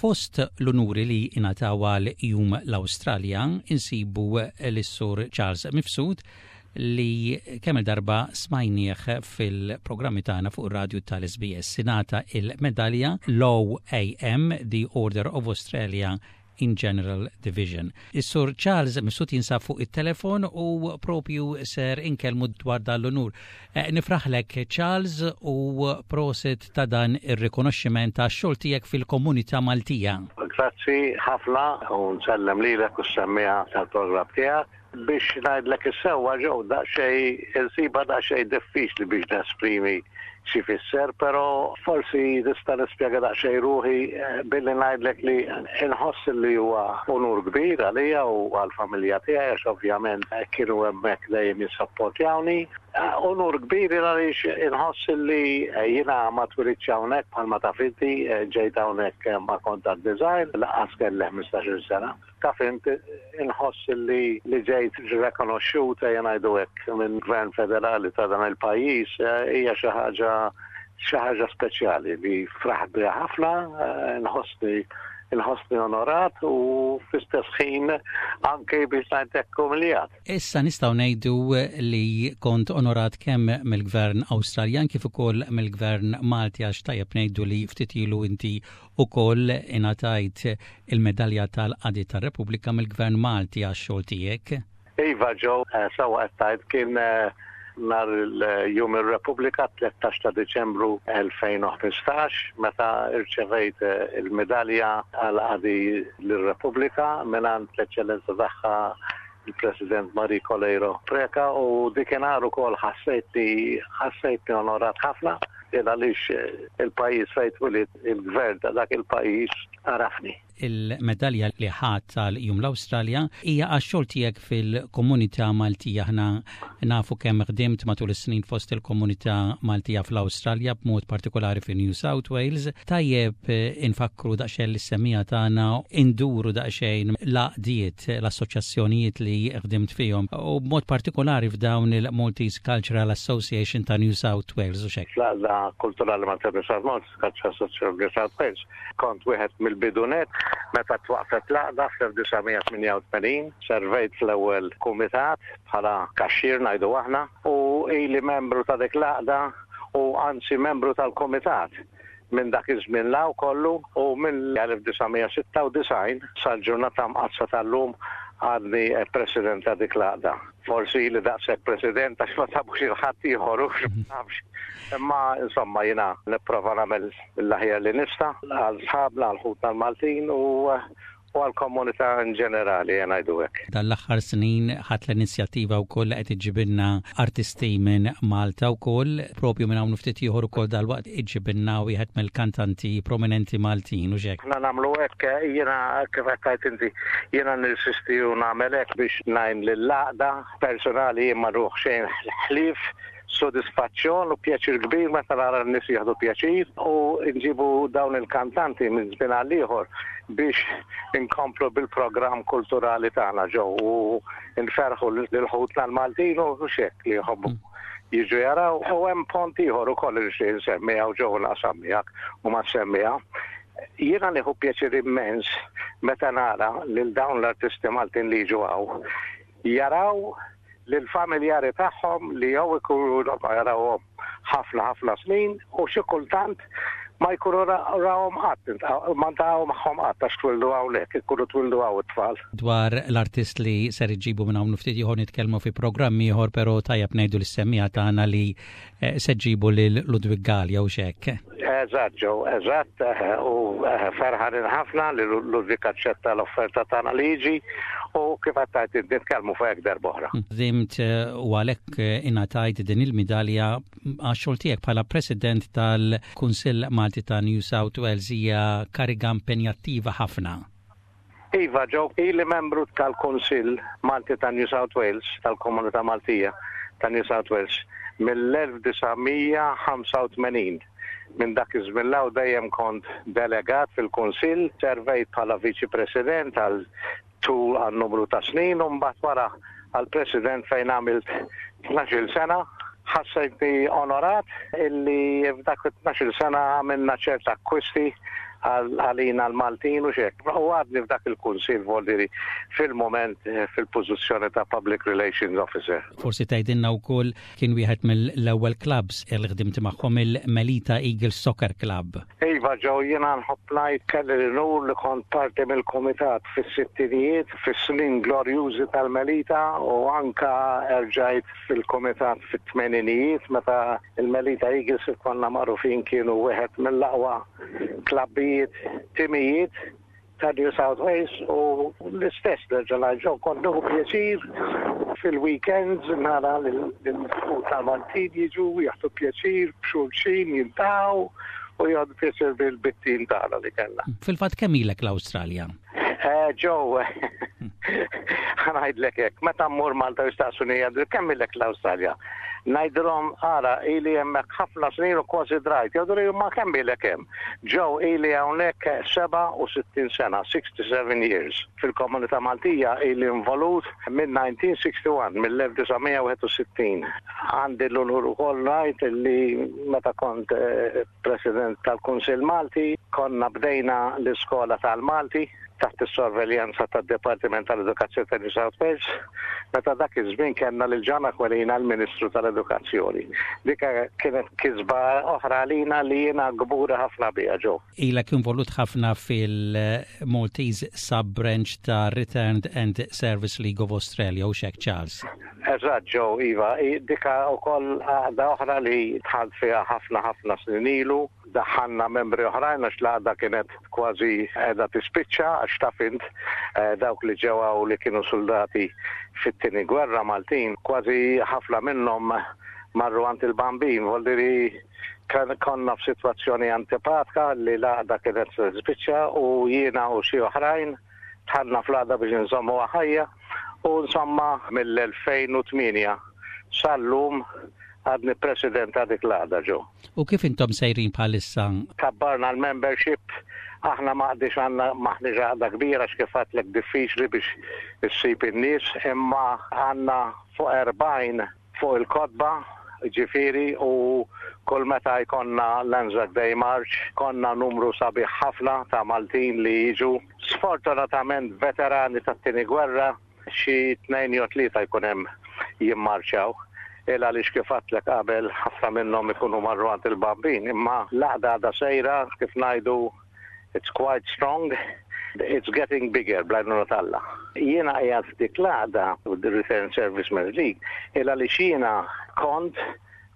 Fost l-unuri li ingħataw għal Jum l-Awstralja insibu lis-Sur Charles Mifsud li kemm il-darba smajnieh fil-programmi tagħna fuq ir-radju tal-SBS. Ingħata il-medalja l-OAM, The Order of Australia in General Division. Is-Sur Charles Mifsud jinsab fuq it-telefon u propju ser inkellmu dwar dan l-unur. Eh, nifraħlek Charles u prosit ta' dan ir-rikonoxximent ta' xogħol tiegħek fil-komunità Maltija. Grazzi ħafna u nsellem lilek u s-semmiegħa tal-programm tiegħek. Biex ngħidlek is-sewwa Joe, daqsxejn insibha daqsxejn diffiċli biex nesprimi xi fisser, però forsi nista' nispjega daqsxejn ruħi eh, billi ngħidlek li nħoss li huwa unur kbir għalija u għall-familja tiegħi għax ovvjament eh, kienu hemmhekk dejjem jissapportjawni. Eh, unur kbir għaliex inħoss li jiena ma twilidx hawnhekk bħalma taf inti ġejt hawnhekk ma kont għad-design laqas kelli 15-il sena. Taf int, inħoss li li ġejt rikonoxxut ejja ngħidu hekk minn gvern federali ta' dan il-pajjiż eh, hija xi ħaġa xi ħaġa speċjali li fraħt biha ħafna, eh, nħossni inħossni onorat u fl-istess ħin anke biex ngħidlek umiljat. Issa nistgħu ngħidu li kont onorat kemm mill-Gvern Awstraljan kif ukoll mill-Gvern Malti għax tajjeb ngħidu li ftit ilu inti ukoll ingħatajt il-Medalja tal-Qadi tar-Repubblika mill-Gvern Malti għax-xogħol tiegħek. Iva Joe, sewwa qed tgħid kien nhar il-Jum ir-Repubblika 13 ta' Diċembru 2015 meta rċevejt il-medalja għall-qadi lir-Repubblika mingħand l-Eċċellenza Tagħha il-President Marie Coleiro Preca u dikinhar ukoll ħassejtni ħassejtni onorat ħafna il għaliex il-pajjiż fejn twilidt il-gvern ta' dak il-pajjiż għarafni. Il-medalja li ħadt għal Jum l-Awstralja hija għax-xogħol tiegħek fil-komunità Maltija. Aħna nafu kemm ħdimt matul is-snin fost il-komunità Maltija fl-Awstralja b'mod partikolari fi New South Wales. Tajjeb infakkru daqsxejn lis-semmiegħa tagħna induru daqsxejn l-għaqdiet l-assoċjazzjonijiet li ħdimt fihom u b'mod partikolari f'dawn il-Maltese Cultural Association ta' New South Wales u xek. Fl-Għaqda Kulturali Malta New South Maltese Cultural Association of New South Wales kont wieħed mill-bidu nett meta twaqqfet l-għaqda fl-1988, servejt fl-ewwel kumitat bħala kaxxier ngħidu aħna u ili membru ta' dik l-għaqda u anzi membru tal-kumitat Minn dak iż-żmien 'l hawn kollu u mill-1996 sal-ġurnata mqaddsa tal-lum għadni President ta' dik l-għaqda. Forsi ili daqshekk President għax ma sabux 'il ħadd ieħor hux ma nafx. Imma insomma jiena nipprova nagħmel mill-aħjar li nista' għal sħabna, għal ħutna l-Maltin u u għall-komunità in ġenerali, ejja ngħidu hekk. Dan l-aħħar snin ħadt l-inizjattiva wkoll li qed iġġibilna artisti minn Malta wkoll, propju minn hawn u ftit ieħor ukoll dalwaqt iġġibilna wieħed mill-kantanti prominenti Maltin, hux hekk? Aħna nagħmlu hekk, jiena kif qed tgħid inti, jiena nirsisti u nagħmel hekk biex ngħin lill-għaqda. Personali jien ma nruħ xejn ħlief sodisfazzjon u pjaċir kbir meta nara n-nies jieħdu pjaċir u nġibu dawn il-kantanti minn żmien għal ieħor biex inkomplu bil-programm kulturali tagħna ġew u nferħu lil ħutna l-Maltin u hekk li jħobbu mm. jiġu jaraw u hemm pont ieħor ukoll li nixtieq insemmi hawn ġew naqsam miegħek u ma semmiha. Jiena nieħu pjaċir immens meta nara lil dawn l-artisti Maltin li jiġu hawn jaraw lill-familjari tagħhom li jew ikunu ilhom ma jarawhom ħafna ħafna snin u xi kultant ma jkunu rawhom qatt, ma ntaqgħu magħhom qatt għax twildu hawnhekk, ikunu twildu hawn it-tfal. Dwar l-artist li ser iġġibu minn hawn ftit ieħor nitkellmu fi programm ieħor, però tajjeb ngħidu lis-semmiegħa tagħna li eh, se ġġibu lil Ludwig Galea u x'hekk. Eżatt Joe, eżatt, eh, u eh, ferħanin ħafna li Ludwig aċċetta l-offerta tagħna li jiġi u kif qed tgħid nitkellmu fuq hekk darb'oħra. Ħdimt eh, u għalhekk ingħatajt din il-midalja għax-xogħol tiegħek bħala President tal-Kunsill Malti ta' New South Wales hija kariga impenjattiva ħafna. Iva, Joe, ili membru tal-Kunsill Malti ta' New South Wales, tal-Komunità Maltija ta' New South Wales, mill-1985. Minn dak iż-żmien 'l hawn dejjem kont delegat fil-Kunsill, servejt bħala Viċi President għal tul għal numru ta' snin u mbagħad wara għal President fejn għamilt 12-il sena. Ħassejtni onorat illi f'dak it-12-il sena għamilna ċerta akkwisti. għalina l-Maltin u xek. U għadni f'dak il-kunsil voldiri fil-moment fil-pożizzjoni ta' Public Relations Officer. Forsi tgħidilna wkoll kien wieħed mill-ewwel clubs li ħdimt magħhom il-Melita Eagles Soccer Club. Iva Joe, jiena nħobb ngħid kelli l-unur li kont parti mill-kumitat fis-sittinijiet, fis-snin glorjużi tal-Melita u anka erġajt fil-kumitat fit-tmeninijiet meta il-Melita Eagles kif konna magħrufin kienu wieħed mill-aqwa klabbijiet, timijiet ta' New South Wales u l-istess nerġa' ngħid Joe kont nieħu pjaċir fil-weekends nara lil tal-Maltin jiġu jieħdu pjaċir b'xulxin jiltaqgħu u jieħdu pjaċir bil-bittin tagħna li kellna. Fil-fatt kemm ilek l-Awstralja? Joe, ħa ngħidlek hekk, meta mmur Malta jistaqsuni jgħidu kemm ilek l-Awstralja? Ngħidilhom ara ili hemmhekk ħafna snin u kważi drajt. Jgħidu li ma kemm ilek hemm? Joe ili hawnhekk 67 sena, 67 years. Fil-komunità Maltija ili involut minn 1961, mill-1961. Għandi l-unur ukoll ngħid li meta kont President tal-Kunsill Malti, konna bdejna l-iskola tal-Malti taħt is-sorveljanza tad-Dipartiment tal-Edukazzjoni ta' New South Wales, meta dak iż-żmien kellna lil John Aquilina l-Ministru tal-Edukazzjoni. Dik kienet kisba oħra għalina li jiena kburi ħafna biha Joe. Ilek involut ħafna fil-Maltese Sub-Branch ta' Returned and Service League of Australia u xek Charles. Eżatt Joe, iva, dika wkoll għaqda oħra li dħalt fiha ħafna ħafna snin ilu. Daħħalna membri oħrajn għax l-għaqda kienet kważi qiegħda tispiċċa għax taf int dawk li ġew hawn li kienu suldati fit-tieni gwerra Maltin kważi ħafna minnhom marru għand il-Bambin voldiri konna f'sitwazzjoni antipatka li l-għaqda kienet se tispiċċa u jiena u xi oħrajn dħalna fl-għaqda biex inżommuha ħajja u insomma mill-2008 sal-lum għadni president ta' dik l-għaqda Joe. U kif intom sejrin bħalissa? Kabbarna l-membership, aħna m'għadniex għandna m'aħniex għaqda kbira għax kif għedtlek diffiċli biex issib in-nies, imma għandna fuq 40 fuq il-kotba, ġifieri u kull meta jkollna l-Anzac Day March konna numru sabiħ ħafna ta' Maltin li jiġu. Sfortunatament veterani tat-tieni gwerra Xi tnejn jew tlieta jkun hemm jimmarċjaw. Il għaliex kif għedtlek qabel ħafna minnhom ikunu marru għand il-Bambin. Imma l-għaqda għadha sejra, kif ngħidu, it's quite strong, it's getting bigger bl-għajnuna t'Alla. Jiena qiegħed f'dik l-għaqda, the Returned Servicemen's League, il għaliex jiena kont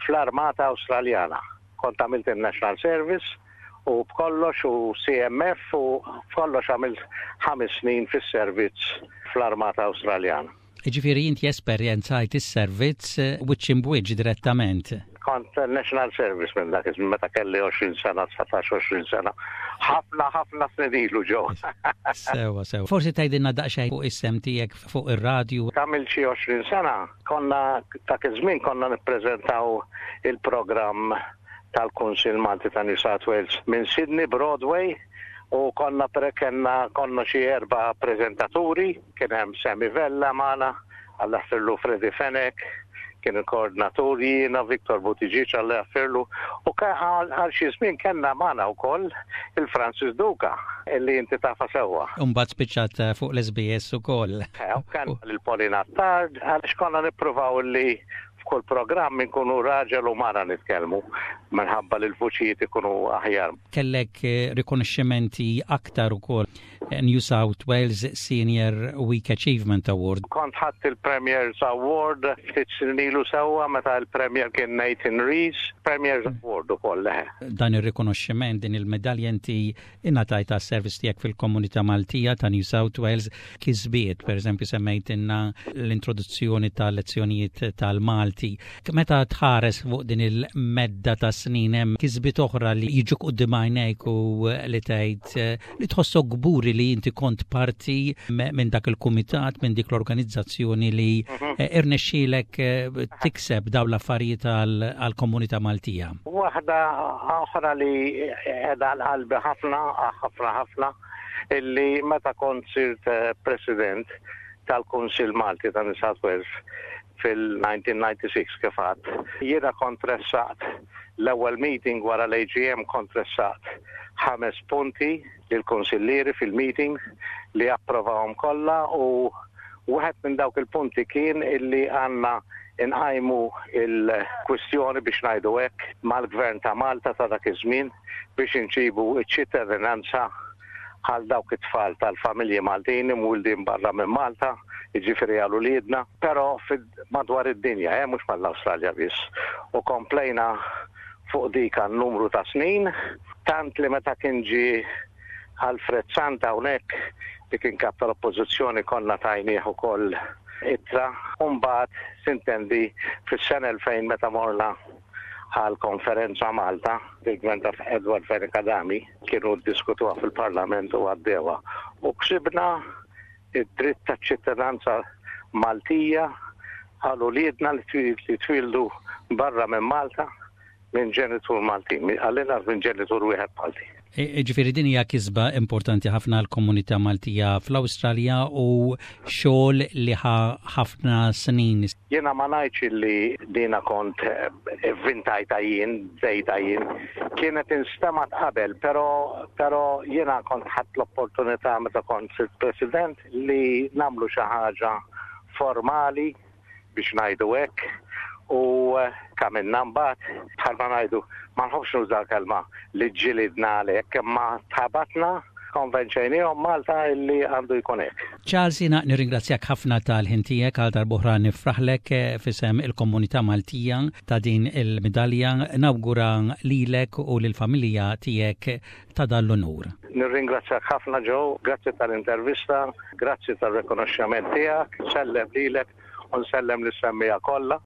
fl-Armata Awstraljana. Kont għamilt in-National Service u b'kollox u CMF u b'kollox għamilt ħames snin fis-servizz fl-Armata Awstraljana. Jiġifieri inti esperjenzajt is-servizz wiċċ imb'wiċċ direttament? Kont National Service minn dak iż-żmien meta kelli 20 sena, 19, 20 sena. Ħafna ħafna snin ilu Joe. Sewwa, sewwa. Forsi tgħidilna daqsxejn fuq is-sehem tiegħek fuq ir-radju. Għamilt xi 20 sena, konna dak iż-żmien konna nippreżentaw il-programm tal-Kunsill Malti ta' New South Wales minn Sydney Broadway u konna kellna konna xi erba' preżentaturi, kien hemm Sammy Vella magħna, Alla jaħfirlu Freddie Fenech, kien il-koordinatur, jiena Victor Buttigieg Alla jaħfirlu u għal xi żmien kellna magħna wkoll il-Francis Duca illi inti tafha sewwa. U mbagħad spiċċat fuq l-SBS ukoll. U kellna lil Pauline Attard għaliex konna nippruvaw illi F'kull programm inkunu raġel u mara nitkellmu minħabba li l-vuċijiet ikunu aħjar. Kellek rikonoxximenti aktar ukoll New South Wales Senior Week Achievement Award. Kont ħadt il-Premier's Award ftit snin ilu sewwa meta l-Premier kien Nathan Rees, Premier's Award ukoll leħe. Dan ir-rikonoxximent, din il-medalja inti Ingħatajt għas-servizz tiegħek fil-komunità Maltija ta' New South Wales kisbiet, pereżempju semmejtilna l-introduzzjoni ta' lezzjonijiet tal-Malti. Meta tħares fuq din il-medda ta' snin hemm kisbiet oħra li jiġuk quddiem għajnejk u li tgħid li tħossok kburi li inti kont parti minn dak il-kumitat, minn dik l-organizzazzjoni li mhm. irnexxielek eh, tikseb dawn l-affarijiet għall-komunità Maltija. Waħda oħra li qiegħda għal qalbi ħafna, ħafna ħafna, illi meta kont sirt eh, president tal-Kunsill Malti ta' New South Wales, fil-1996 kif għedt. Jiena kont ressaqt l-ewwel meeting wara l-AGM, kont ressaqt ħames punti lill-kunsillieri fil-meeting li approvawhom kollha, u wieħed minn dawk il-punti kien illi għandna inqajmu il-kwistjoni, biex ngħidu hekk, mal-Gvern ta' Malta ta' dak iż-żmien biex inġibu ċ-ċittadinanza għal dawk it-tfal tal-familji Maltin imwildin barra minn Malta, jiġifieri għal uliedna, però madwar id-dinja, eh, mhux mal-Awstralja biss. U komplejna fuq dik għal numru ta' snin, tant li meta kien ġie Alfred Sant hawnhekk, li kien kap tal-Oppożizzjoni, konna tajnieh ukoll ittra. U mbagħad, sintendi, fis-sena 2000 meta morna għal konferenza Malta, il-gvern ta' Edward Fenech Adami kienu ddiskutuha fil-Parlament u għaddewha. U ksibna id-dritt ta' ċittadinanza Maltija għal uliedna li twildu barra minn Malta minn ġenitur Maltin, għall-inqas minn ġenitur wieħed Malti. Ġifieri din hija kisba importanti ħafna għall-komunità Maltija fl-Awstralja u xogħol li ħa ħafna snin. Jiena ma ngħidx li dina kont ivvintajtha jien, bdejtha jien. Kienet instemgħet qabel, però però jiena kont ħadt l-opportunità meta kont sirt President li nagħmlu xi ħaġa formali, biex ngħidu hekk, u għamilna mbagħad, bħalma ngħidu, ma nħobbx nuża l-kelma li ġġilidna għalhekk, imma tħabatna, konvenċejniehom Malta illi għandu jkun hekk. Charles, jiena nirringrazzjak ħafna tal-ħin tiegħek. Għal darb'oħra nifraħlek f'isem il-komunità Maltija ta' din il-midalja. Nawgura lilek u lill-familja tiegħek ta' dan l-unur. Nirringrazzjak ħafna Joe, grazzi tal-intervista, grazzi tar-rikonoxxament tiegħek, nsellem lilek u nsellem lis-semmiegħa kollha.